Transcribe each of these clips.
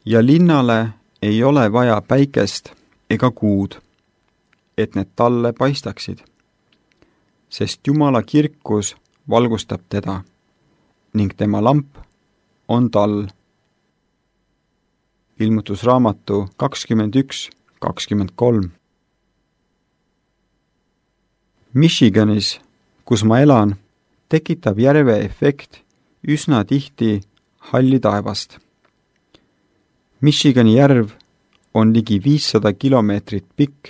Ja linnale ei ole vaja päikest ega kuud, et need talle paistaksid, sest Jumala kirkus valgustab teda ning tema lamp on tal. Ilmutusraamatu 21:23. Michiganis, kus ma elan, tekitab järve efekt üsna tihti halli taevast. Michigani järv on ligi 500 kilomeetrit pikk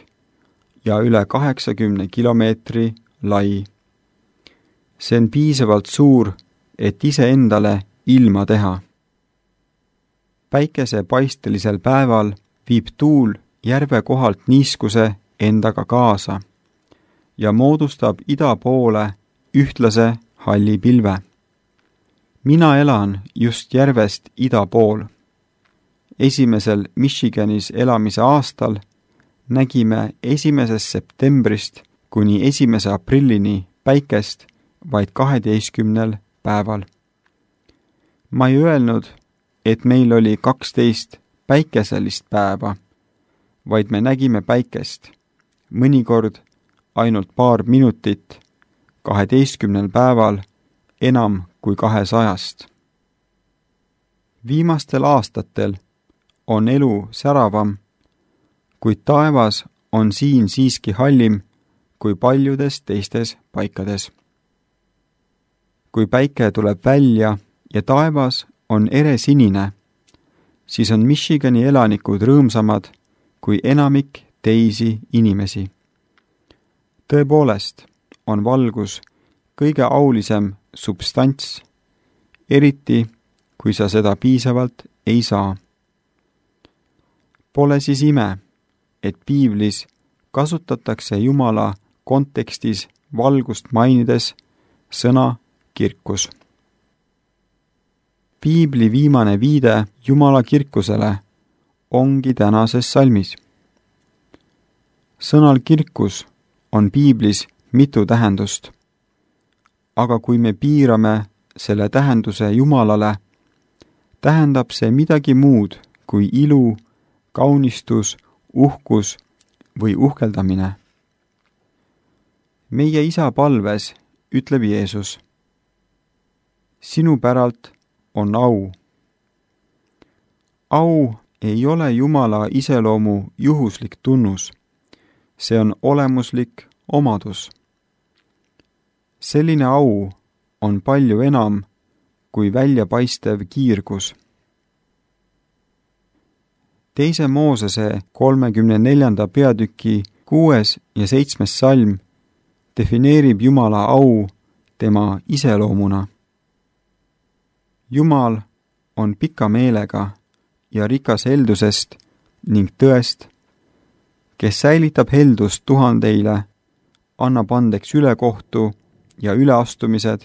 ja üle 80 kilomeetri lai. See on piisavalt suur, et iseendale ilma teha. Päikesepaistelisel päeval viib tuul järve kohalt niiskuse endaga kaasa ja moodustab ida poole ühtlase halli pilve. Mina elan just järvest ida pool. Esimesel Michiganis elamise aastal nägime 1. septembrist kuni 1. aprillini päikest vaid 12 päeval. Ma ei öelnud, et meil oli 12 päikeselist päeva, vaid me nägime päikest, mõnikord ainult paar minutit, 12 päeval enam kui 200. Viimastel aastatel on elu säravam, kuid taevas on siin siiski hallim kui paljudes teistes paikades. Kui päike tuleb välja ja taevas on eresinine, siis on Michigani elanikud rõõmsamad kui enamik teisi inimesi. Tõepoolest on valgus kõige aulisem substants, eriti kui sa seda piisavalt ei saa. Pole siis ime, et piiblis kasutatakse Jumala kontekstis valgust mainides sõna kirkus. Piibli viimane viide Jumala kirkusele ongi tänases salmis. Sõnal kirkus on piiblis mitu tähendust, aga kui me piirame selle tähenduse Jumalale, tähendab see midagi muud kui ilu, kaunistus, uhkus või uhkeldamine. Meie isa palves ütleb Jeesus: sinu päralt on au. Au ei ole Jumala iseloomu juhuslik tunnus, see on olemuslik omadus. Selline au on palju enam kui väljapaistev kiirgus. 2. Moosese 34. peatüki 6. ja 7. salm defineerib Jumala au tema iseloomuna. Jumal on pika meelega ja rikas heldusest ning tõest, kes säilitab heldust tuhandeile, annab andeks ülekohtu ja üleastumised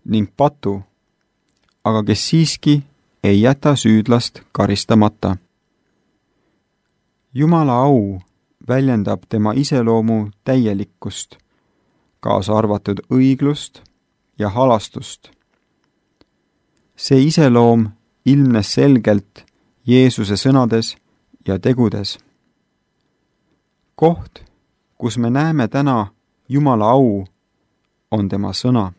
ning patu, aga kes siiski ei jäta süüdlast karistamata. Jumala au väljendab tema iseloomu täielikkust, kaasa arvatud õiglust ja halastust. See iseloom ilmnes selgelt Jeesuse sõnades ja tegudes. Koht, kus me näeme täna Jumala au, on tema sõna.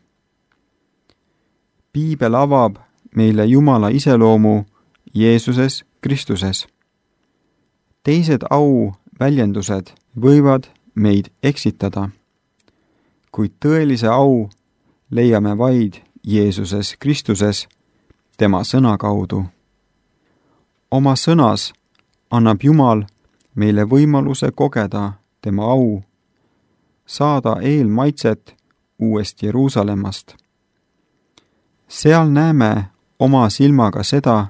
Piibel avab meile Jumala iseloomu Jeesuses Kristuses. Teised au väljendused võivad meid eksitada, kuid tõelise au leiame vaid Jeesuses Kristuses, tema sõna kaudu. Oma sõnas annab Jumal meile võimaluse kogeda tema au, saada eelmaitset uuest Jeruusalemmast. Seal näeme oma silmaga seda,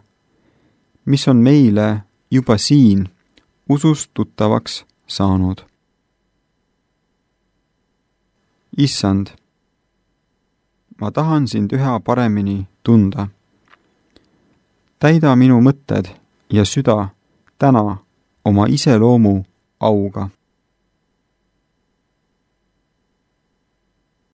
mis on meile juba siin usust tuttavaks saanud. Issand, ma tahan sind üha paremini tunda. Täida minu mõtted ja süda täna oma iseloomu auga.